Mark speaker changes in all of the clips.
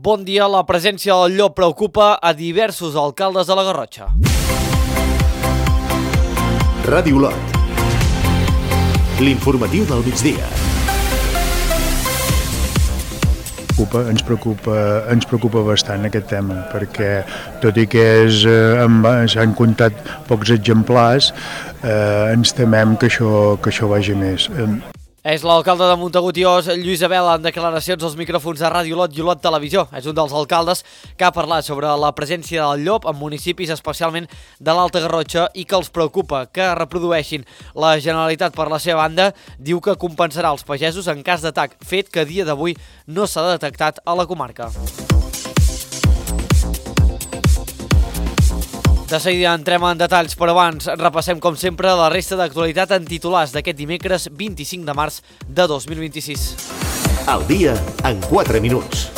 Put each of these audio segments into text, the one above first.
Speaker 1: Bon dia, la presència del llop preocupa a diversos alcaldes de la Garrotxa.
Speaker 2: Ràdio Olot, l'informatiu del migdia.
Speaker 3: Ens preocupa bastant aquest tema, perquè tot i que s'han comptat pocs exemplars, ens temem que això vagi més.
Speaker 1: És l'alcalde de Montagut i Os, Lluís Abela, en declaracions als micròfons de Ràdio Olot i Olot Televisió. És un dels alcaldes que ha parlat sobre la presència del llop en municipis especialment de l'Alta Garrotxa i que els preocupa que reprodueixin. La Generalitat, per la seva banda, diu que compensarà els pagesos en cas d'atac, fet que a dia d'avui no s'ha detectat a la comarca. De seguida entrem en detalls, però abans repassem com sempre la resta d'actualitat en titulars d'aquest dimecres 25 de març de 2026.
Speaker 2: Al dia en 4 minuts.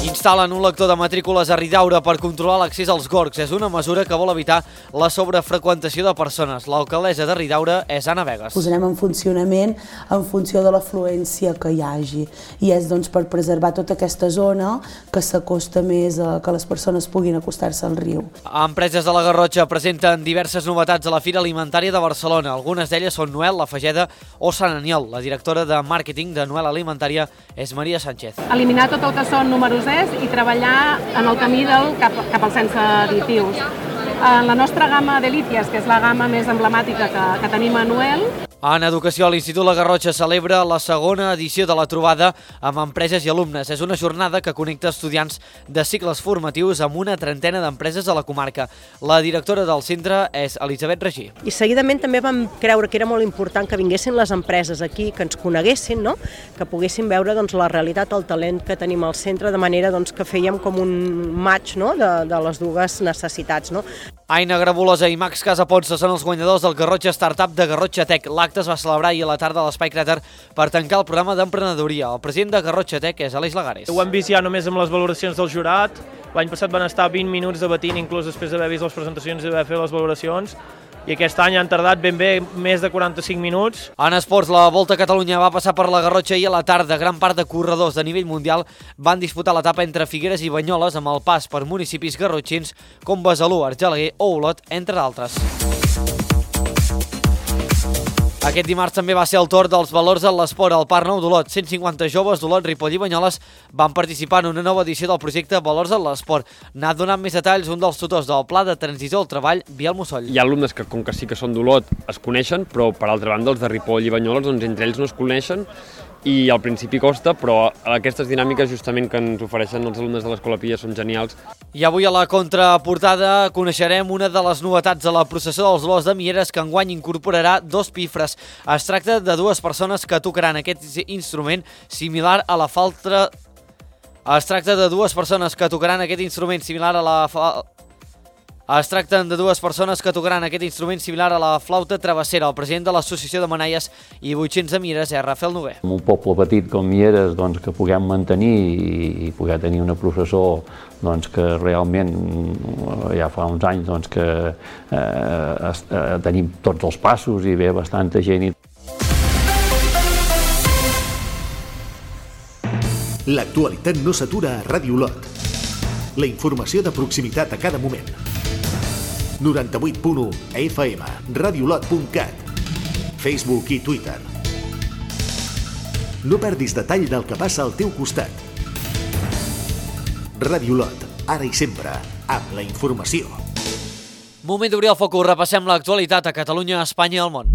Speaker 1: Instal·len un lector de matrícules a Ridaura per controlar l'accés als gorgs. És una mesura que vol evitar la sobrefreqüentació de persones. L'alcaldessa de Ridaura és Anna Vegas.
Speaker 4: Posarem en funcionament en funció de l'afluència que hi hagi i és per preservar tota aquesta zona que s'acosta més a que les persones puguin acostar-se al riu.
Speaker 1: Empreses de la Garrotxa presenten diverses novetats a la Fira Alimentària de Barcelona. Algunes d'elles són Noel, La Fageda o Sant Aniol. La directora de màrqueting de Noel Alimentària és Maria Sánchez.
Speaker 5: Eliminar tot el que són números i treballar en el camí cap al sense additius. En la nostra gamma d'Elíties, que és la gamma més emblemàtica que tenim a Noel.
Speaker 1: En educació, l'Institut La Garrotxa celebra la segona edició de la trobada amb empreses i alumnes. És una jornada que connecta estudiants de cicles formatius amb una trentena d'empreses de la comarca. La directora del centre és Elisabet Regí.
Speaker 6: I seguidament també vam creure que era molt important que vinguessin les empreses aquí, que ens coneguessin, no? Que poguessin veure la realitat, el talent que tenim al centre, de manera que fèiem com un match, no? de les dues necessitats. No?
Speaker 1: Aina Grabulosa i Max Casaponsa són els guanyadors del Garrotxa Startup de Garrotxa Tech. L'acte es va celebrar ahir a la tarda a l'Espai Cràter per tancar el programa d'emprenedoria. El president de Garrotxa Tech és Aleix Lagares.
Speaker 7: Ho hem vist ja només amb les valoracions del jurat. L'any passat van estar 20 minuts debatint, inclús després d'haver vist les presentacions i d'haver fet les valoracions. I aquest any han tardat ben bé més de 45 minuts.
Speaker 1: En esports, la Volta a Catalunya va passar per la Garrotxa i a la tarda gran part de corredors de nivell mundial van disputar l'etapa entre Figueres i Banyoles amb el pas per municipis garrotxins com Besalú, Argelaguer o Olot, entre d'altres. Aquest dimarts també va ser el torn dels valors en l'esport al Parc Nou d'Olot. 150 joves d'Olot, Ripoll i Banyoles van participar en una nova edició del projecte Valors en l'esport. N'ha donat més detalls un dels tutors del Pla de Transició al Treball, Biel Mussol.
Speaker 8: Hi ha alumnes que, com que sí que són d'Olot, es coneixen, però per altra banda els de Ripoll i Banyoles, entre ells no es coneixen i al principi costa, però aquestes dinàmiques justament que ens ofereixen els alumnes de l'Escola Pia són genials.
Speaker 1: I avui a la contraportada coneixerem una de les novetats de la processó dels Olors de Mieres que enguany incorporarà 2 pifres. Es tracta de 2 persones que tocaran aquest instrument similar a la flauta... Es tracten de dues persones que tocaran aquest instrument similar a la flauta travessera. El president de l'Associació de Manaies i Botxins de Mieres és Rafael Noguer.
Speaker 9: En un poble petit com Mieres, que puguem mantenir i poder tenir una processó que realment ja fa uns anys que tenim tots els passos i ve bastanta gent.
Speaker 2: L'actualitat no s'atura a Ràdio Olot. La informació de proximitat a cada moment. 98.1 FM, radiolot.cat, Facebook i Twitter. No perdis detall del que passa al teu costat. Ràdio Olot, ara i sempre, amb la informació.
Speaker 1: Moment d'obrir el focus, repassem l'actualitat a Catalunya, Espanya i el món.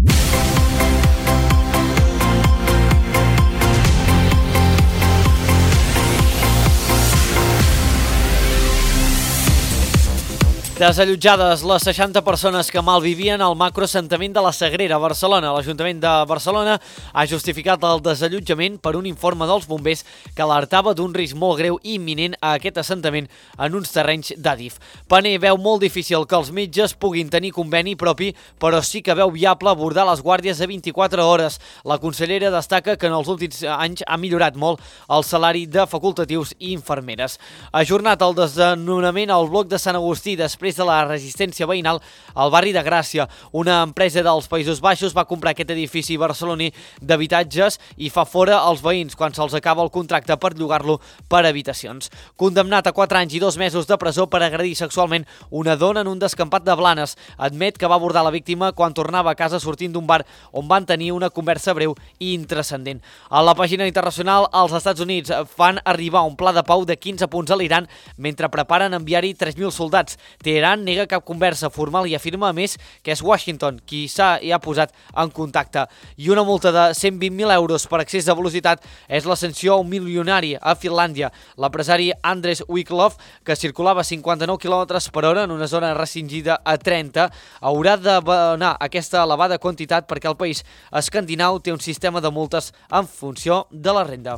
Speaker 1: Desallotjades les 60 persones que malvivien al macroassentament de la Sagrera, a Barcelona. L'Ajuntament de Barcelona ha justificat el desallotjament per un informe dels bombers que alertava d'un risc molt greu i imminent a aquest assentament en uns terrenys d'Adif. Paner veu molt difícil que els metges puguin tenir conveni propi, però sí que veu viable abordar les guàrdies de 24 hores. La consellera destaca que en els últims anys ha millorat molt el salari de facultatius i infermeres. Ajornat el desnonament al bloc de Sant Agustí després des de la resistència veïnal al barri de Gràcia. Una empresa dels Països Baixos va comprar aquest edifici barceloní d'habitatges i fa fora els veïns quan se'ls acaba el contracte per llogar-lo per habitacions. Condemnat a 4 anys i 2 mesos de presó per agredir sexualment una dona en un descampat de Blanes. Admet que va abordar la víctima quan tornava a casa sortint d'un bar on van tenir una conversa breu i intrascendent. A la pàgina internacional, els Estats Units fan arribar un pla de pau de 15 punts a l'Iran mentre preparen enviar-hi 3.000 soldats. Teheran nega cap conversa formal i afirma, a més, que és Washington qui hi ha posat en contacte. I una multa de 120.000 euros per excés de velocitat és la sanció a un milionari a Finlàndia. L'empresari Andres Wiklov, que circulava a 59 km per hora en una zona restringida a 30, haurà d'abonar aquesta elevada quantitat perquè el país escandinau té un sistema de multes en funció de la renda.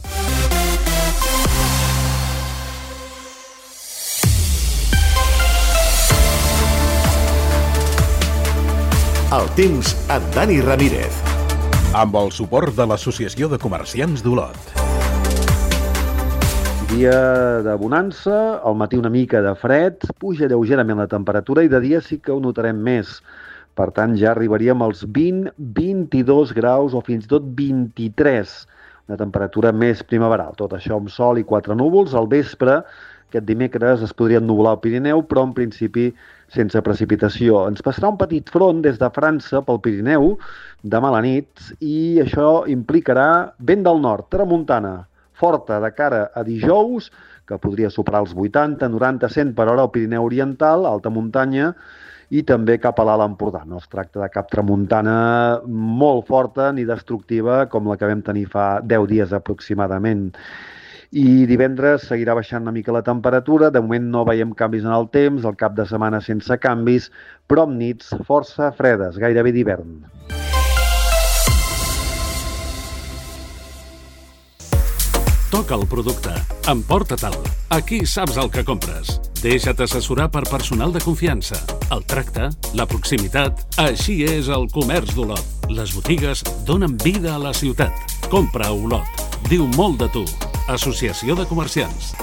Speaker 2: El temps amb Dani Ramírez.
Speaker 10: Amb el suport de l'Associació de Comerciants d'Olot.
Speaker 11: Dia de bonança, al matí una mica de fred, puja lleugerament la temperatura i de dia sí que ho notarem més. Per tant, ja arribaríem als 20, 22 graus o fins i tot 23, una temperatura més primaveral. Tot això amb sol i 4 núvols. Al vespre, aquest dimecres, es podria ennuvolar al Pirineu, però en principi sense precipitació. Ens passarà un petit front des de França pel Pirineu demà a la nit i això implicarà vent del nord, tramuntana, forta de cara a dijous, que podria superar els 80, 90, 100 per hora al Pirineu Oriental, alta muntanya, i també cap a l'Alt Empordà. No es tracta de cap tramuntana molt forta ni destructiva com la que vam tenir fa 10 dies aproximadament. I divendres seguirà baixant una mica la temperatura, de moment no veiem canvis en el temps, el cap de setmana sense canvis, però amb nits força fredes, gairebé d'hivern.
Speaker 12: Toca el producte, emporta-te'l. Aquí saps el que compres. Deixa't assessorar per personal de confiança. El tracte, la proximitat, així és el comerç d'Olot. Les botigues donen vida a la ciutat. Compra a Olot. Diu molt de tu. Associació de Comerciants.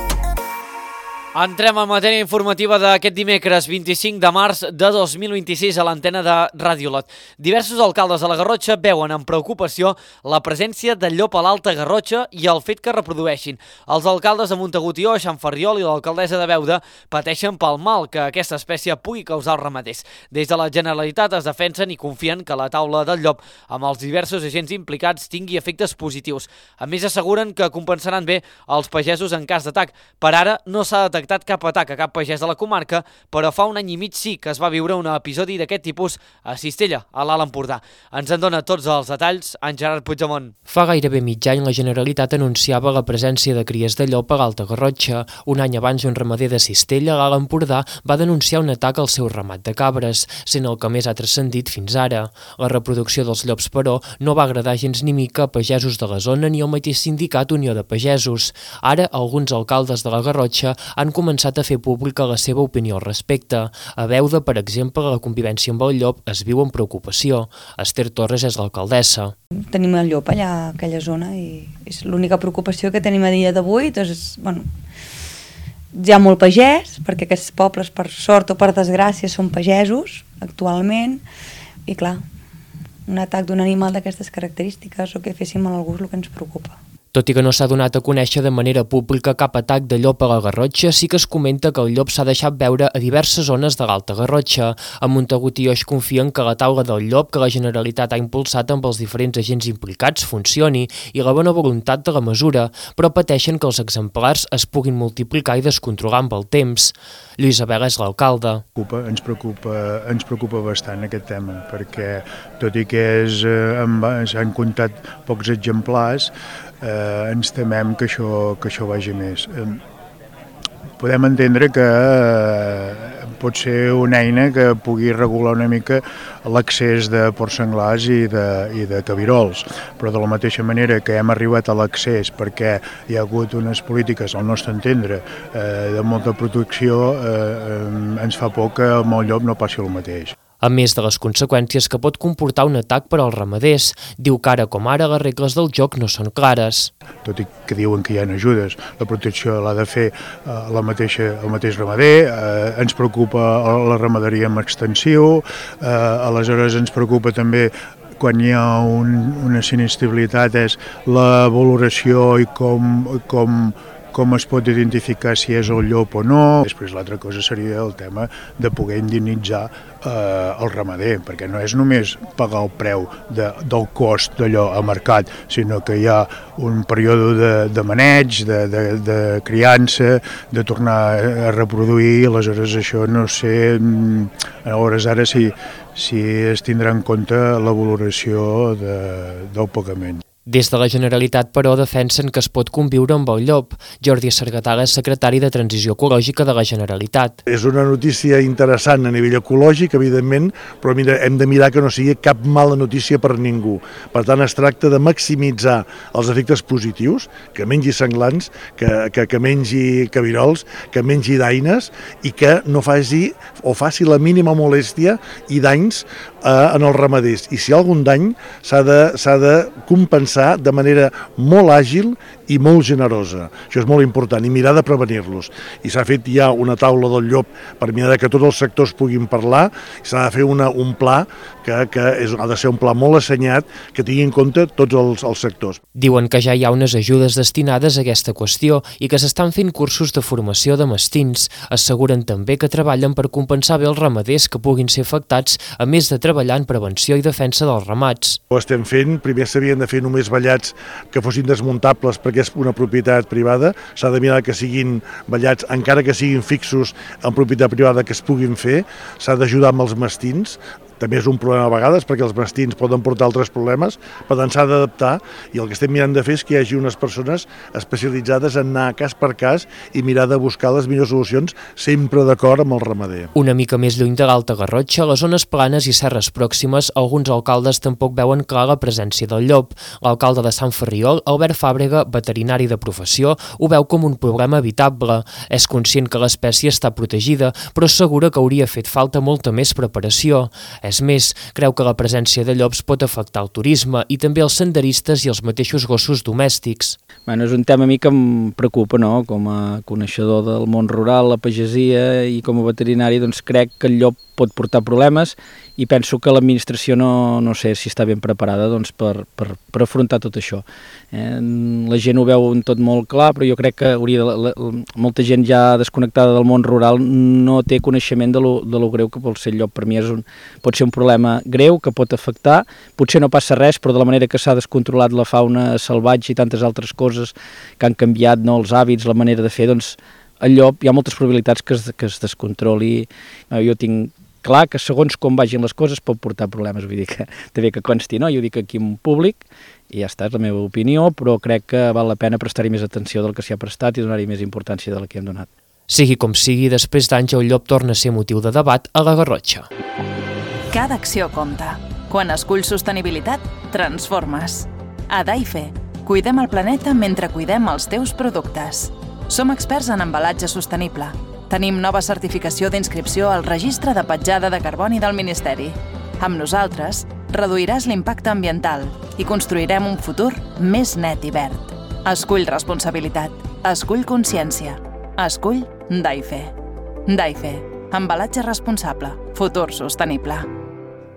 Speaker 1: Entrem en matèria informativa d'aquest dimecres 25 de març de 2026 a l'antena de Ràdio Olot. Diversos alcaldes de la Garrotxa veuen amb preocupació la presència de llop a l'Alta Garrotxa i el fet que reprodueixin. Els alcaldes de Montagut i Oix, Sant Ferriol i l'alcaldessa de Beuda pateixen pel mal que aquesta espècie pugui causar als ramaders. Des de la Generalitat es defensen i confien que la taula del llop amb els diversos agents implicats tingui efectes positius. A més, asseguren que compensaran bé els pagesos en cas d'atac. Per ara no s'ha detectat cap atac a cap pagès de la comarca, però fa un any i mig sí que es va viure un episodi d'aquest tipus a Cistella, a l'Alt Empordà. Ens en dona tots els detalls en Gerard Puigdemont.
Speaker 13: Fa gairebé mig any la Generalitat anunciava la presència de cries de llop a l'Alta Garrotxa. Un any abans, un ramader de Cistella, a l'Alt Empordà, va denunciar un atac al seu ramat de cabres, sent el que més ha transcendit fins ara. La reproducció dels llops, però, no va agradar gens ni mica a pagesos de la zona ni al mateix sindicat Unió de Pagesos. Ara, alguns alcaldes de la Garrotxa han començat a fer pública la seva opinió al respecte. A Beuda, per exemple, la convivència amb el llop es viu amb preocupació. Esther Torres és l'alcaldessa.
Speaker 14: Tenim el llop allà a aquella zona i és l'única preocupació que tenim a dia d'avui. Doncs, bueno, hi ha molt pagès, perquè aquests pobles, per sort o per desgràcia, són pagesos actualment, i clar, un atac d'un animal d'aquestes característiques o que féssim a algú és el que ens preocupa.
Speaker 13: Tot i que no s'ha donat a conèixer de manera pública cap atac de llop a la Garrotxa, sí que es comenta que el llop s'ha deixat veure a diverses zones de l'Alta Garrotxa. A Montagut i Oix confien que la taula del llop que la Generalitat ha impulsat amb els diferents agents implicats funcioni i la bona voluntat de la mesura, però pateixen que els exemplars es puguin multiplicar i descontrolar amb el temps. Lluís Abel és l'alcalde.
Speaker 3: Ens preocupa bastant aquest tema, perquè tot i que s'han comptat pocs exemplars, ens temem que això vagi més. Podem entendre que pot ser una eina que pugui regular una mica l'accés de porcs senglars i de cabirols, però de la mateixa manera que hem arribat a l'accés perquè hi ha hagut unes polítiques, al nostre entendre, de molta protecció, ens fa por que amb el llop no passi el mateix.
Speaker 13: a més de les conseqüències que pot comportar un atac per als ramaders. Diu que ara com ara les regles del joc no són clares.
Speaker 3: Tot i que diuen que hi ha ajudes, la protecció l'ha de fer el mateix ramader, ens preocupa la ramaderia en extensiu, aleshores ens preocupa també quan hi ha una sinistralitat és la valoració i com es pot identificar si és el llop o no. Després l'altra cosa seria el tema de poder indemnitzar el ramader, perquè no és només pagar el preu del cost d'allò a mercat, sinó que hi ha un període de maneig, de criança, de tornar a reproduir, aleshores això no sé, a hores ara si es tindrà en compte la valoració del pagament.
Speaker 13: Des de la Generalitat, però, defensen que es pot conviure amb el llop. Jordi Sargatala és secretari de Transició Ecològica de la Generalitat.
Speaker 15: És una notícia interessant a nivell ecològic, evidentment, però hem de mirar que no sigui cap mala notícia per ningú. Per tant, es tracta de maximitzar els efectes positius, que mengi senglans, que mengi cabirols, que mengi daines i que no faci la mínima molèstia i danys en els ramaders. I si hi ha algun dany, s'ha de compensar de manera molt àgil i molt generosa. Això és molt important, i mirar de prevenir-los. I s'ha fet ja una taula del llop per mirar que tots els sectors puguin parlar, i s'ha de fer un pla que ha de ser un pla molt assenyat, que tingui en compte tots els sectors.
Speaker 13: Diuen que ja hi ha unes ajudes destinades a aquesta qüestió i que s'estan fent cursos de formació de mastins. Asseguren també que treballen per compensar bé els ramaders que puguin ser afectats, a més de treballar en prevenció i defensa dels ramats.
Speaker 15: Ho estem fent, primer s'havien de fer només vellats que fossin desmuntables perquè és una propietat privada, s'ha de mirar que siguin vellats, encara que siguin fixos en propietat privada, que es puguin fer, s'ha d'ajudar amb els mastins, també és un problema a vegades perquè els mastins poden portar altres problemes, per tant s'ha d'adaptar, i el que estem mirant de fer és que hi hagi unes persones especialitzades en anar cas per cas i mirar de buscar les millors solucions, sempre d'acord amb el ramader.
Speaker 13: Una mica més lluny de l'Alta Garrotxa, a les zones planes i serres pròximes, alguns alcaldes tampoc veuen clar la presència del llop. L'alcalde de Sant Ferriol, Albert Fàbrega, veterinari de professió, ho veu com un problema evitable. És conscient que l'espècie està protegida, però assegura que hauria fet falta molta més preparació. És més, creu que la presència de llops pot afectar el turisme i també els senderistes i els mateixos gossos domèstics.
Speaker 16: És un tema a mi que em preocupa, no? Com a coneixedor del món rural, la pagesia i com a veterinari, doncs crec que el llop pot portar problemes i penso que l'administració no sé si està ben preparada per afrontar tot això. La gent ho veu tot molt clar, però jo crec que molta gent ja desconnectada del món rural no té coneixement de lo greu que pot ser el llop. Per mi pot ser un problema greu que pot afectar, potser no passa res, però de la manera que s'ha descontrolat la fauna salvatge i tantes altres coses que han canviat, no, els hàbits, la manera de fer, doncs el llop hi ha moltes probabilitats que es descontroli. Jo tinc clar que segons com vagin les coses pot portar problemes, vull dir que també que consti, no? Jo ho dic aquí en públic i ja està, és la meva opinió, però crec que val la pena prestar-hi més atenció del que s'hi ha prestat i donar-hi més importància de la que hem donat.
Speaker 13: Sigui com sigui, després d'anys el llop torna a ser motiu de debat a la Garrotxa.
Speaker 17: Cada acció compta. Quan esculls sostenibilitat, transformes. A Daife, cuidem el planeta mentre cuidem els teus productes. Som experts en embalatge sostenible. Tenim nova certificació d'inscripció al Registre de Petjada de Carboni del Ministeri. Amb nosaltres, reduiràs l'impacte ambiental i construirem un futur més net i verd. Escull responsabilitat. Escull consciència. Escull Daife. Daife. Embalatge responsable. Futur sostenible.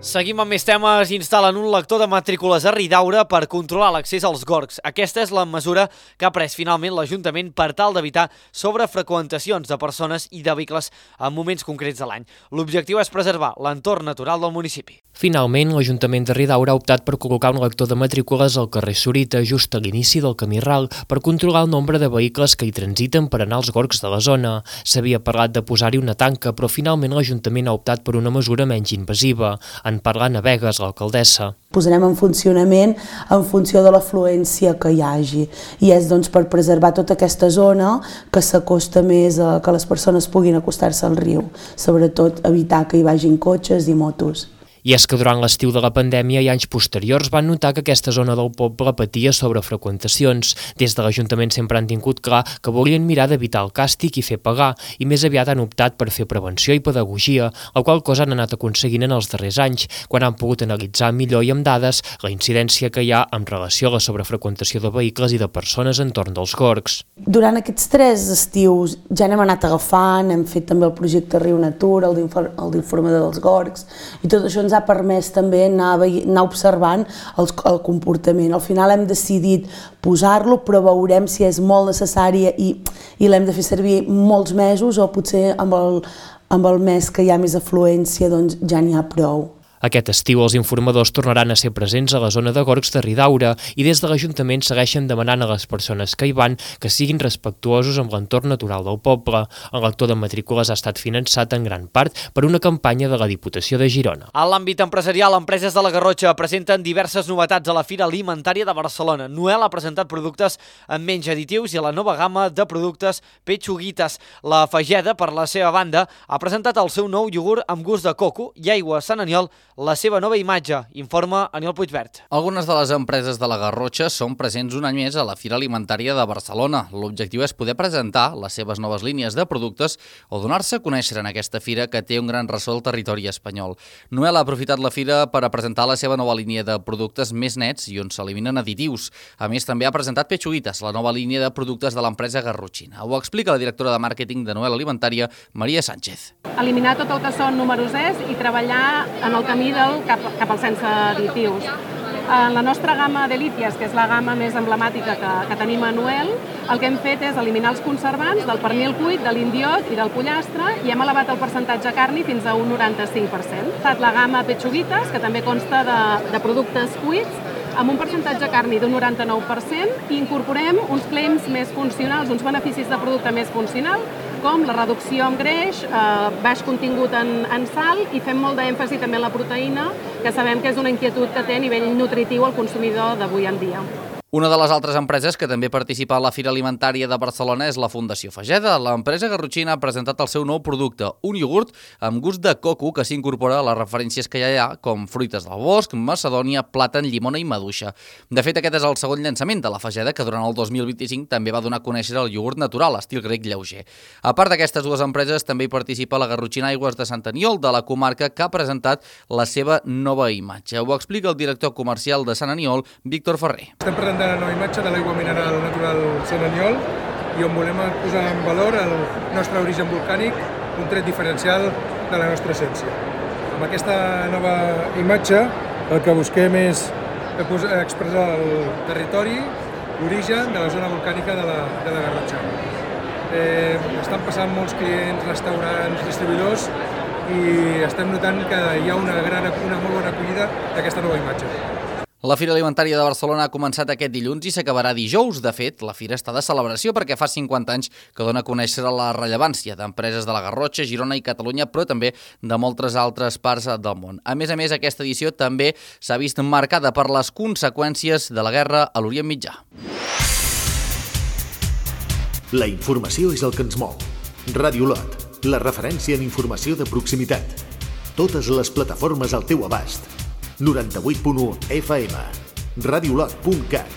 Speaker 1: Seguim amb més temes. Instal·len un lector de matrícules a Ridaura per controlar l'accés als gorgs. Aquesta és la mesura que ha pres finalment l'Ajuntament per tal d'evitar sobrefreqüentacions de persones i de vehicles en moments concrets de l'any. L'objectiu és preservar l'entorn natural del municipi.
Speaker 13: Finalment, l'Ajuntament de Ridaura ha optat per col·locar un lector de matrícules al carrer Sorita, just a l'inici del camí ral, per controlar el nombre de vehicles que hi transiten per anar als gorgs de la zona. S'havia parlat de posar-hi una tanca, però finalment l'Ajuntament ha optat per una mesura menys invasiva. En parla Navegas, l'alcaldessa.
Speaker 4: Posarem en funcionament en funció de l'afluència que hi hagi, i és doncs per preservar tota aquesta zona que s'acosta més a que les persones puguin acostar-se al riu, sobretot evitar que hi vagin cotxes i motos.
Speaker 13: I és que durant l'estiu de la pandèmia i anys posteriors van notar que aquesta zona del poble patia sobrefreqüentacions. Des de l'Ajuntament sempre han tingut clar que volien mirar d'evitar el càstig i fer pagar, i més aviat han optat per fer prevenció i pedagogia, la qual cosa han anat aconseguint en els darrers anys, quan han pogut analitzar millor i amb dades la incidència que hi ha en relació a la sobrefreqüentació de vehicles i de persones entorn dels gorgs.
Speaker 4: Durant aquests 3 estius ja n'hem anat agafant, hem fet també el projecte Riu Natura, el d'informador dels gorgs, i tot això ens ha permès també anar observant el comportament. Al final hem decidit posar-lo, però veurem si és molt necessària i l'hem de fer servir molts mesos o potser amb el mes que hi ha més afluència doncs ja n'hi ha prou.
Speaker 13: Aquest estiu els informadors tornaran a ser presents a la zona de gorgs de Ridaura i des de l'Ajuntament segueixen demanant a les persones que hi van que siguin respectuosos amb l'entorn natural del poble. El lector de matrícules ha estat finançat en gran part per una campanya de la Diputació de Girona.
Speaker 1: A l'àmbit empresarial, empreses de la Garrotxa presenten diverses novetats a la Fira Alimentària de Barcelona. Noel ha presentat productes amb menys additius i la nova gamma de productes Pechuguitas. La Fageda, per la seva banda, ha presentat el seu nou iogurt amb gust de coco i aigua Sant Aniol, la seva nova imatge, informa Aniol Puigvert.
Speaker 18: Algunes de les empreses de la Garrotxa són presents un any més a la Fira Alimentària de Barcelona. L'objectiu és poder presentar les seves noves línies de productes o donar-se a conèixer en aquesta fira que té un gran ressò al territori espanyol. Noel ha aprofitat la fira per a presentar la seva nova línia de productes més nets i on s'eliminen additius. A més, també ha presentat Pechuguitas, la nova línia de productes de l'empresa garrotxina. Ho explica la directora de màrqueting de Noel Alimentària, Maria Sánchez.
Speaker 5: Eliminar tot el que són números i treballar en el camí cap al sense additius. En la nostra gamma Delícies, que és la gamma més emblemàtica que tenim a Noel, el que hem fet és eliminar els conservants del pernil cuit, de l'indiot i del pollastre i hem elevat el percentatge carni fins a un 95%. Ha estat la gamma Pechuguitas, que també consta de productes cuits, amb un percentatge carni d'un 99% i incorporem uns claims més funcionals, uns beneficis de producte més funcional, com la reducció en greix, baix contingut en sal i fem molt d'èmfasi també en la proteïna, que sabem que és una inquietud que té a nivell nutritiu el consumidor d'avui en dia.
Speaker 18: Una de les altres empreses que també participa a la Fira Alimentària de Barcelona és la Fundació Fageda. L'empresa garrotxina ha presentat el seu nou producte, un iogurt amb gust de coco que s'incorpora a les referències que ja hi ha, com fruites del bosc, macedònia, plàtan, llimona i maduixa. De fet, aquest és el segon llançament de la Fageda, que durant el 2025 també va donar a conèixer el iogurt natural, estil grec lleuger. A part d'aquestes dues empreses, també hi participa la Garrotxina Aigües de Sant Aniol, de la comarca, que ha presentat la seva nova imatge. Ho explica el director comercial de Sant Aniol, Víctor Ferrer.
Speaker 19: Estem presentant la nova imatge de l'aigua mineral natural Sant Aniol i on volem posar en valor el nostre origen volcànic, un tret diferencial de la nostra essència. Amb aquesta nova imatge el que busquem és expressar el territori, l'origen de la zona volcànica de la Garrotxa. Estan passant molts clients, restaurants, distribuïdors i estem notant que hi ha una molt bona acollida d'aquesta nova imatge.
Speaker 18: La Fira Alimentària de Barcelona ha començat aquest dilluns i s'acabarà dijous. De fet, la fira està de celebració perquè fa 50 anys que dona a conèixer la rellevància d'empreses de la Garrotxa, Girona i Catalunya, però també de moltes altres parts del món. A més, aquesta edició també s'ha vist marcada per les conseqüències de la guerra a l'Orient Mitjà.
Speaker 2: La informació és el que ens mou. Ràdio Lot, la referència en informació de proximitat. Totes les plataformes al teu abast. 98.1 FM, radiolot.cat,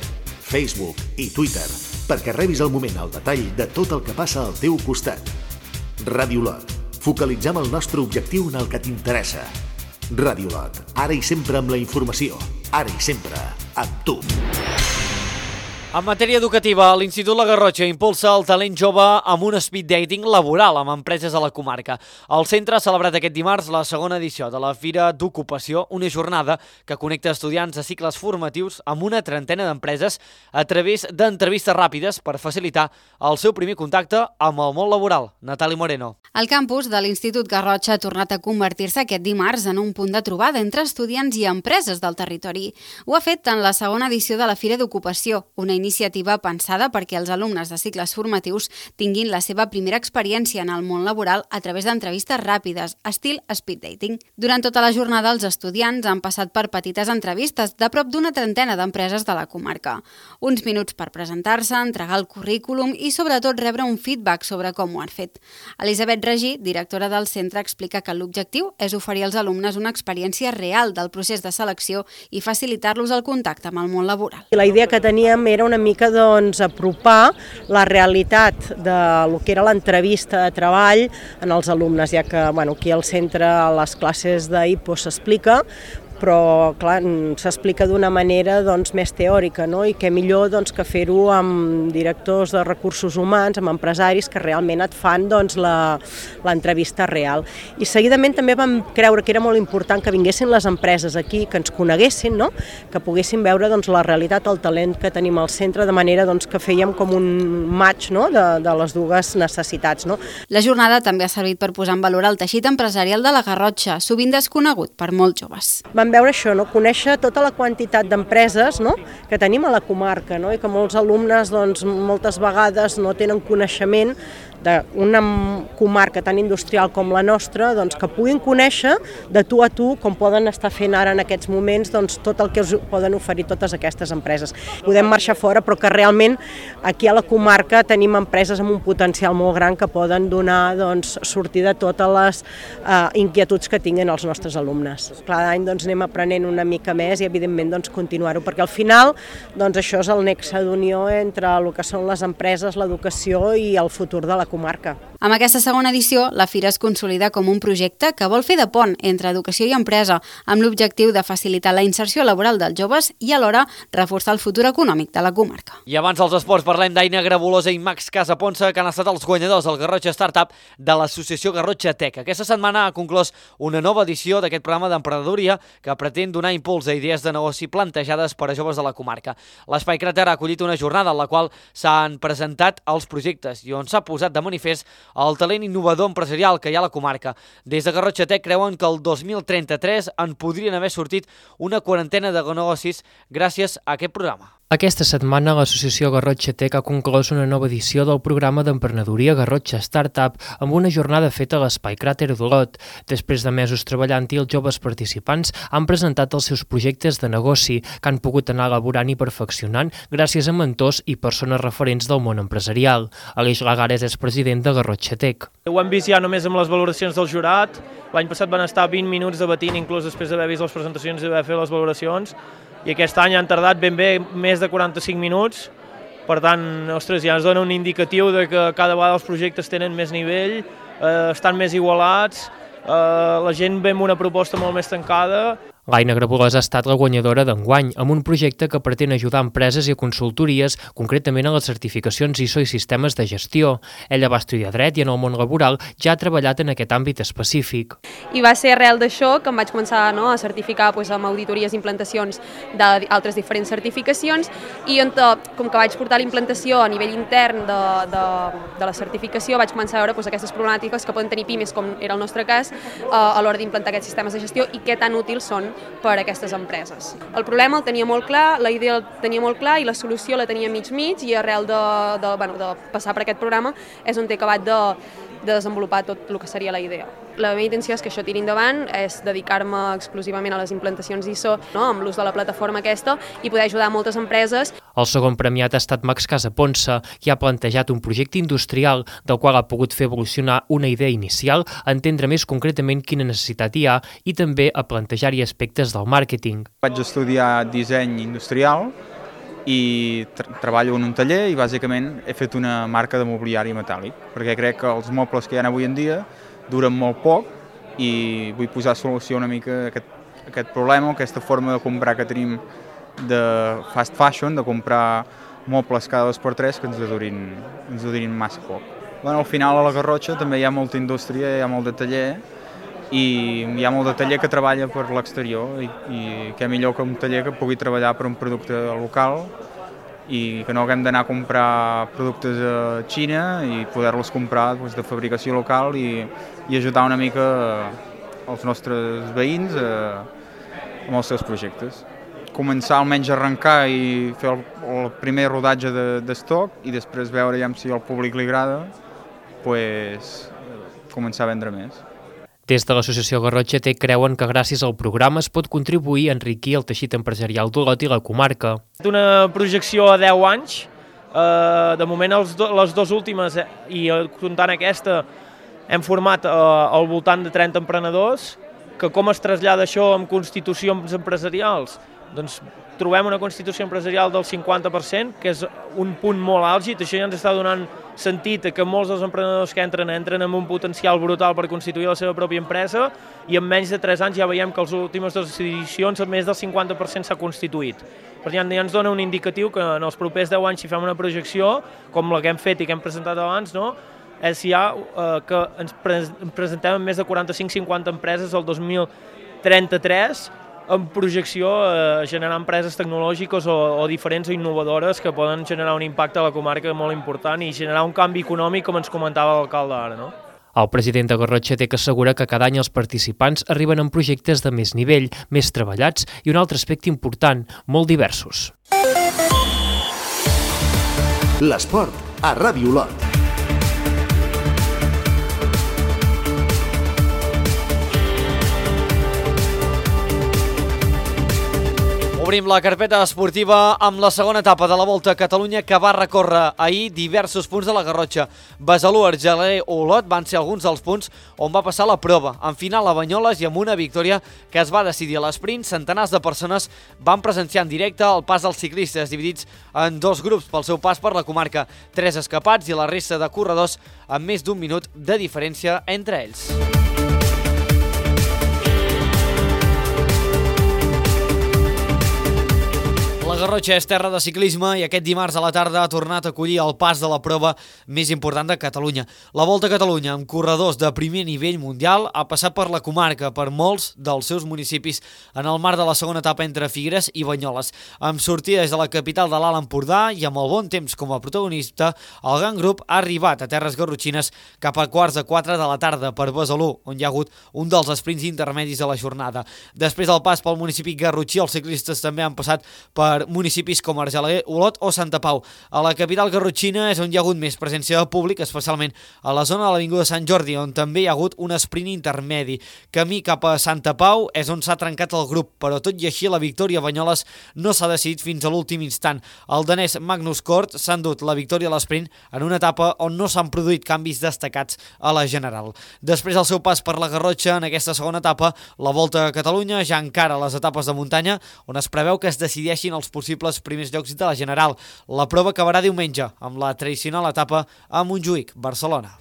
Speaker 2: Facebook i Twitter, perquè rebis al moment el detall de tot el que passa al teu costat. Radiolot, focalitzem el nostre objectiu en el que t'interessa. Radiolot, ara i sempre amb la informació, ara i sempre amb tu.
Speaker 1: En matèria educativa, l'Institut La Garrotxa impulsa el talent jove amb un speed dating laboral amb empreses a la comarca. El centre ha celebrat aquest dimarts la segona edició de la Fira d'Ocupació, una jornada que connecta estudiants de cicles formatius amb una trentena d'empreses a través d'entrevistes ràpides per facilitar el seu primer contacte amb el món laboral. Natàlia Moreno.
Speaker 20: El campus de l'Institut Garrotxa ha tornat a convertir-se aquest dimarts en un punt de trobada entre estudiants i empreses del territori. Ho ha fet en la segona edició de la Fira d'Ocupació, una iniciativa pensada perquè els alumnes de cicles formatius tinguin la seva primera experiència en el món laboral a través d'entrevistes ràpides, estil speed dating. Durant tota la jornada, els estudiants han passat per petites entrevistes de prop d'una trentena d'empreses de la comarca. Uns minuts per presentar-se, entregar el currículum i, sobretot, rebre un feedback sobre com ho han fet. Elisabet Regí, directora del centre, explica que l'objectiu és oferir als alumnes una experiència real del procés de selecció i facilitar-los el contacte amb el món laboral.
Speaker 6: La idea que teníem era una mica apropar la realitat del que era l'entrevista de treball en els alumnes, ja que aquí al centre a les classes d'IPO s'explica, però clar, s'explica d'una manera més teòrica, no? I què millor que fer-ho amb directors de recursos humans, amb empresaris que realment et fan l'entrevista real. I seguidament també vam creure que era molt important que vinguessin les empreses aquí, que ens coneguessin, no? Que poguessin veure la realitat, el talent que tenim al centre, de manera que fèiem com un match, no? de les dues necessitats. No?
Speaker 20: La jornada també ha servit per posar en valor el teixit empresarial de la Garrotxa, sovint desconegut per molts joves.
Speaker 6: Vam veure això, conèixer tota la quantitat d'empreses que tenim a la comarca, i que molts alumnes moltes vegades no tenen coneixement d'una comarca tan industrial com la nostra, que puguin conèixer de tu a tu com poden estar fent ara en aquests moments tot el que us poden oferir totes aquestes empreses. Podem marxar fora, però que realment aquí a la comarca tenim empreses amb un potencial molt gran que poden donar sortida a totes les inquietuds que tinguin els nostres alumnes. Cada any anem aprenent una mica més i evidentment continuar-ho, perquè al final això és el nexe d'unió entre el que són les empreses, l'educació i el futur de la comarca.
Speaker 20: Amb aquesta segona edició, la Fira es consolida com un projecte que vol fer de pont entre educació i empresa, amb l'objectiu de facilitar la inserció laboral dels joves i alhora reforçar el futur econòmic de la comarca.
Speaker 1: I abans dels esports parlem d'Aina Grabolosa i Max Casaponsa, que han estat els guanyadors del Garrotxa Startup de l'associació Garrotxa Tech. Aquesta setmana ha conclòs una nova edició d'aquest programa d'emprenedoria que pretén donar impuls a idees de negoci plantejades per a joves de la comarca. L'Espai Cràter ha acollit una jornada en la qual s'han presentat els projectes i on s'ha posat de manifest el talent innovador empresarial que hi ha a la comarca. Des de Garrotxa Tech creuen que el 2033 en podrien haver sortit una quarantena de negocis gràcies a aquest programa.
Speaker 13: Aquesta setmana l'associació Garrotxa Tech ha conclòs una nova edició del programa d'emprenedoria Garrotxa Startup amb una jornada feta a l'Espai Cràter d'Olot. Després de mesos treballant-hi, els joves participants han presentat els seus projectes de negoci que han pogut anar elaborant i perfeccionant gràcies a mentors i persones referents del món empresarial. Aleix Lagares és president de Garrotxa Tech.
Speaker 7: Ho hem vist ja només amb les valoracions del jurat. L'any passat van estar 20 minuts debatint, inclús després d'haver vist les presentacions i d'haver fet les valoracions. I aquest any han tardat ben bé més de 45 minuts, per tant, ostres, ja ens dona un indicatiu de que cada vegada els projectes tenen més nivell, estan més igualats, la gent ve amb una proposta molt més tancada.
Speaker 13: L'Aina Grabolosa ha estat la guanyadora d'enguany, amb un projecte que pretén ajudar empreses i consultories, concretament a les certificacions ISO i sistemes de gestió. Ella va estudiar dret i en el món laboral ja ha treballat en aquest àmbit específic.
Speaker 21: I va ser arrel d'això que em vaig començar a certificar amb auditories i implantacions d'altres diferents certificacions i com que vaig portar la implantació a nivell intern de la certificació vaig començar a veure aquestes problemàtiques que poden tenir pimes, com era el nostre cas, a l'hora d'implantar aquests sistemes de gestió i què tan útils són per a aquestes empreses. El problema el tenia molt clar, la idea el tenia molt clar i la solució la tenia mig i arrel de passar per aquest programa és on he acabat de desenvolupar tot el que seria la idea. La meva intenció és que això tiri endavant, és dedicar-me exclusivament a les implantacions ISO, amb l'ús de la plataforma aquesta i poder ajudar moltes empreses.
Speaker 13: El segon premiat ha estat Max Casaponsa, qui ha plantejat un projecte industrial del qual ha pogut fer evolucionar una idea inicial, a entendre més concretament quina necessitat hi ha i també a plantejar-hi aspectes del màrqueting.
Speaker 22: Vaig estudiar disseny industrial i treballo en un taller i bàsicament he fet una marca de mobiliari metàl·lic, perquè crec que els mobles que hi ha avui en dia duren molt poc i vull posar solució una mica a aquest problema, aquesta forma de comprar que tenim de fast fashion, de comprar mobles cada 2x3 que ens durin massa poc. Al final a la Garrotxa també hi ha molta indústria, hi ha molt de taller i hi ha molt de taller que treballa per l'exterior i què millor que un taller que pugui treballar per un producte local i que no haguem d'anar a comprar productes a Xina i poder-los comprar de fabricació local i ajudar una mica els nostres veïns amb els seus projectes. començar almenys a arrencar i fer el primer rodatge d'estoc i després veure ja si al públic li agrada, pues, començar a vendre més.
Speaker 13: Des de l'associació Garrotxa Tec creuen que gràcies al programa es pot contribuir a enriquir el teixit empresarial d'Olot i la comarca.
Speaker 7: Una projecció a 10 anys, de moment les dues últimes i comptant aquesta hem format al voltant de 30 emprenedors, que com es trasllada això en constitucions empresarials? Doncs trobem una constitució empresarial del 50%, que és un punt molt àlgid. Això ja ens està donant sentit que molts dels emprenedors que entren amb un potencial brutal per constituir la seva pròpia empresa i en menys de 3 anys ja veiem que les últimes 2 edicions més del 50% s'ha constituït. Per tant, ja ens dona un indicatiu que en els propers 10 anys, si fem una projecció, com la que hem fet i que hem presentat abans, és ja que ens presentem en més de 45-50 empreses el 2033, en projecció a generar empreses tecnològiques o diferents o innovadores que poden generar un impacte a la comarca molt important i generar un canvi econòmic, com ens comentava l'alcalde ara,
Speaker 13: El president de Garrotxa Tec assegura que cada any els participants arriben amb projectes de més nivell, més treballats i un altre aspecte important, molt diversos.
Speaker 2: L'esport a Ràdio Olot.
Speaker 1: Obrim la carpeta esportiva amb la segona etapa de la Volta a Catalunya que va recórrer ahir diversos punts de la Garrotxa. Besalú, Argelaguer o Olot van ser alguns dels punts on va passar la prova. En final a Banyoles i amb una victòria que es va decidir a l'esprint, centenars de persones van presenciar en directe el pas dels ciclistes, dividits en 2 grups pel seu pas per la comarca. 3 escapats i la resta de corredors amb més d'1 minut de diferència entre ells. La Garrotxa és terra de ciclisme i aquest dimarts a la tarda ha tornat a acollir el pas de la prova més important de Catalunya. La Volta a Catalunya, amb corredors de primer nivell mundial, ha passat per la comarca, per molts dels seus municipis, en el marc de la segona etapa entre Figueres i Banyoles. Amb sortida des de la capital de l'Alt Empordà i amb el bon temps com a protagonista, el gran grup ha arribat a terres garrotxines cap a 3:15 de la tarda per Besalú, on hi ha hagut un dels esprints intermedis de la jornada. Després del pas pel municipi garrotxí, els ciclistes també han passat per municipis com Argelaguer, Olot o Santa Pau. A la capital garrotxina és on hi ha hagut més presència de públic, especialment a la zona de l'Avinguda Sant Jordi, on també hi ha hagut un esprint intermedi. Camí cap a Santa Pau és on s'ha trencat el grup, però tot i així la victòria a Banyoles no s'ha decidit fins a l'últim instant. El danès Magnus Kort s'ha endut la victòria a l'esprint en una etapa on no s'han produït canvis destacats a la general. Després del seu pas per la Garrotxa en aquesta segona etapa, la Volta a Catalunya ja encara les etapes de muntanya, on es preveu que es decideixin els possibles primers llocs de la general. La prova acabarà diumenge amb la tradicional etapa a Montjuïc, Barcelona.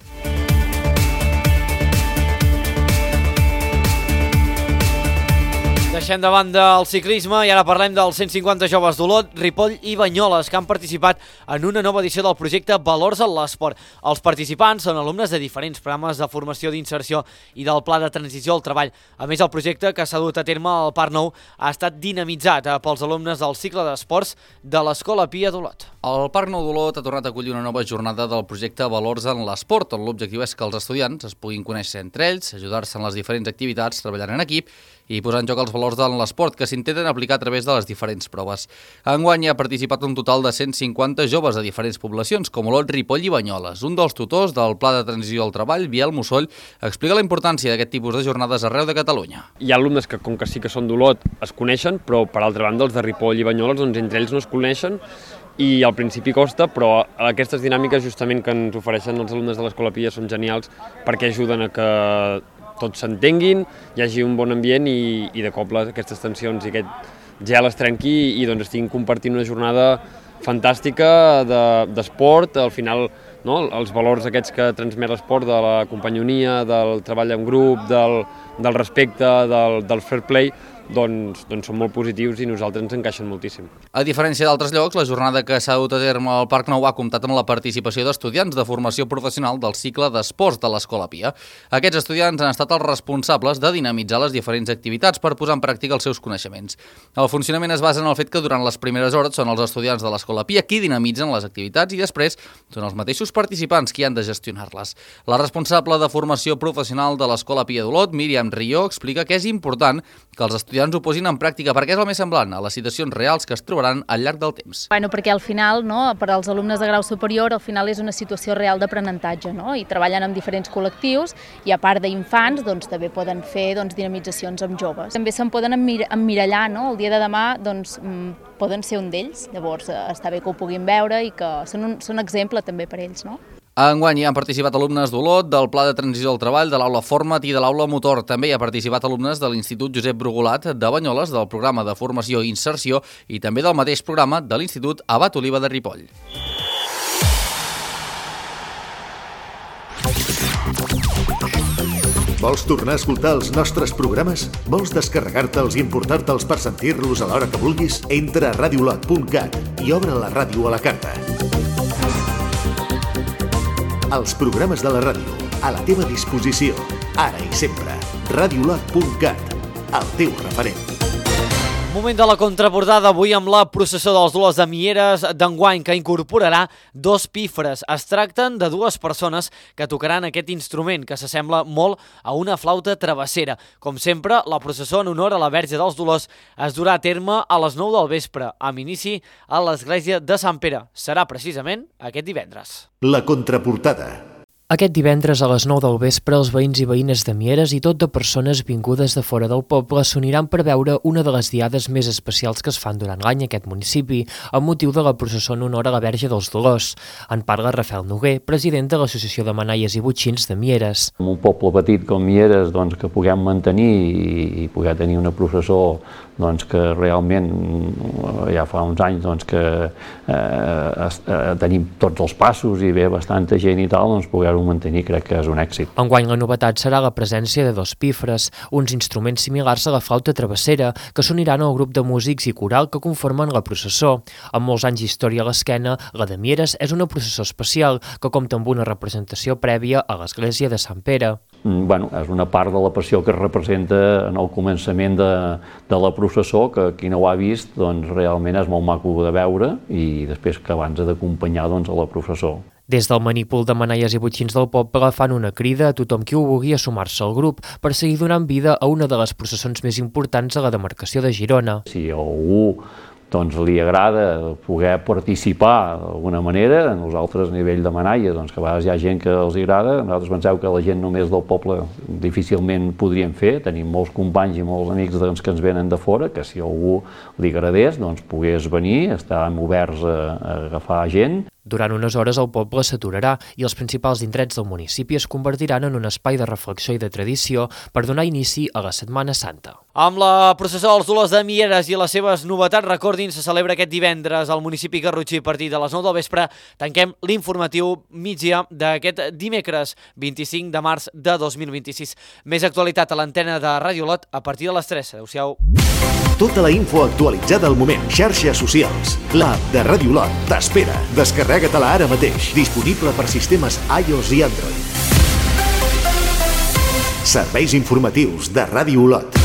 Speaker 1: Deixem de banda el ciclisme i ara parlem dels 150 joves d'Olot, Ripoll i Banyoles que han participat en una nova edició del projecte Valors en l'Esport. Els participants són alumnes de diferents programes de formació d'inserció i del Pla de Transició al Treball. A més, el projecte que s'ha dut a terme al Parc Nou ha estat dinamitzat pels alumnes del cicle d'esports de l'Escola Pia d'Olot.
Speaker 18: El Parc Nou d'Olot ha tornat a acollir una nova jornada del projecte Valors en l'Esport, on l'objectiu és que els estudiants es puguin conèixer entre ells, ajudar-se en les diferents activitats, treballant en equip i posar en joc els valors en l'esport que s'intenten aplicar a través de les diferents proves. Enguany hi ha participat un total de 150 joves de diferents poblacions, com Olot, Ripoll i Banyoles. Un dels tutors del Pla de Transició al Treball, Biel Mussoll, explica la importància d'aquest tipus de jornades arreu de Catalunya.
Speaker 8: Hi ha alumnes que, com que sí que són d'Olot, es coneixen, però per altra banda els de Ripoll i Banyoles, doncs entre ells no es coneixen i al principi costa, però aquestes dinàmiques justament que ens ofereixen els alumnes de l'Escola Pia són genials perquè ajuden a que tots s'entenguin, hi hagi un bon ambient i de cop aquestes tensions i aquest gel es trenqui i doncs estiguin compartint una jornada fantàstica d'esport, al final els valors aquests que transmet l'esport, de la companyonia, del treball en grup, del respecte, del fair play, doncs són molt positius i nosaltres ens encaixen moltíssim.
Speaker 18: A diferència d'altres llocs, la jornada que s'ha dut a terme al Parc Nou ha comptat amb la participació d'estudiants de formació professional del cicle d'esports de l'Escola Pia. Aquests estudiants han estat els responsables de dinamitzar les diferents activitats per posar en pràctica els seus coneixements. El funcionament es basa en el fet que durant les primeres hores són els estudiants de l'Escola Pia qui dinamitzen les activitats i després són els mateixos participants qui han de gestionar-les. La responsable de formació professional de l'Escola Pia d'Olot, Míriam Rió, explica que és important que els estudiants estudiants ho posin en pràctica, perquè és el més semblant a les situacions reals que es trobaran al llarg del temps.
Speaker 9: Bueno, perquè al final, no, per als alumnes de grau superior, al final és una situació real d'aprenentatge, no? I treballen amb diferents col·lectius i a part d'infants doncs, també poden fer dinamitzacions amb joves. També se'n poden emmirallar, no? El dia de demà doncs, poden ser un d'ells, llavors està bé que ho puguin veure i que són exemple també per ells, no?
Speaker 18: Enguany hi han participat alumnes d'Olot, del Pla de Transició del Treball, de l'Aula Format i de l'Aula Motor. També hi ha participat alumnes de l'Institut Josep Brugolat de Banyoles, del programa de formació i inserció i també del mateix programa de l'Institut Abat Oliva de Ripoll.
Speaker 2: Vols tornar a escoltar els nostres programes? Vols descarregar-te'ls i emportar-te'ls per sentir-los a l'hora que vulguis? Entra a radiolot.cat i obre la ràdio a la carta. Els programes de la ràdio, a la teva disposició, ara i sempre. Radiolot.cat, el teu referent.
Speaker 1: Moment de la contraportada avui amb la processó dels Dolors de Mieres d'enguany, que incorporarà 2 pífres. Es tracten de 2 persones que tocaran aquest instrument, que s'assembla molt a una flauta travessera. Com sempre, la processó en honor a la Verge dels Dolors es durà a terme a les 9 del vespre, amb inici a l'església de Sant Pere. Serà precisament aquest divendres.
Speaker 2: La contraportada.
Speaker 13: Aquest divendres a les 9 del vespre, els veïns i veïnes de Mieres i tot de persones vingudes de fora del poble s'uniran per veure una de les diades més especials que es fan durant l'any a aquest municipi, amb motiu de la processó en honor a la Verge dels Dolors. En parla Rafael Noguer, president de l'Associació de Manaies i Botxins de Mieres.
Speaker 10: En un poble petit com Mieres, doncs, que puguem mantenir i poder tenir una processó doncs, que realment ja fa uns anys doncs, que tenim tots els passos i ve bastanta gent i tal, doncs poder-ho mantenir crec que és un èxit.
Speaker 13: Enguany la novetat serà la presència de 2 pífres, uns instruments similars a la flauta travessera, que s'uniran al grup de músics i coral que conformen la processó. Amb molts anys d'història a l'esquena, la de Mieres és una processó especial que compta amb una representació prèvia a l'església de Sant Pere.
Speaker 10: Bueno, és una part de la passió que es representa en el començament de la processó, que qui no ho ha vist doncs, realment és molt maco de veure i després que abans ha d'acompanyar doncs, a la processó.
Speaker 13: Des del manípul de Manaies i Botxins del poble fan una crida a tothom qui ho vulgui a sumar-se al grup per seguir donant vida a una de les processons més importants a la demarcació de Girona.
Speaker 10: Si algú doncs, li agrada poder participar d'alguna manera, nosaltres a nivell de Manaies, doncs, que a vegades hi ha gent que els agrada, nosaltres penseu que la gent només del poble difícilment podríem fer, tenim molts companys i molts amics doncs, que ens venen de fora, que si algú li agradés doncs, pogués venir, estàvem oberts a agafar gent.
Speaker 13: Durant unes hores el poble s'aturarà i els principals indrets del municipi es convertiran en un espai de reflexió i de tradició per donar inici a la Setmana Santa.
Speaker 1: Amb la processó dels Dolors de Mieres i les seves novetats, recordin, se celebra aquest divendres al municipi garrotxí a partir de les 9 del vespre. Tanquem l'informatiu migdia d'aquest dimecres 25 de març de 2026. Més actualitat a l'antena de Ràdio Olot a partir de les 3. Adéu-siau.
Speaker 2: Tota la info actualitzada al moment. Xarxes socials. L'app de Ràdio Olot t'espera. Descarrega-te-la ara mateix. Disponible per sistemes iOS i Android. Serveis informatius de Ràdio Olot.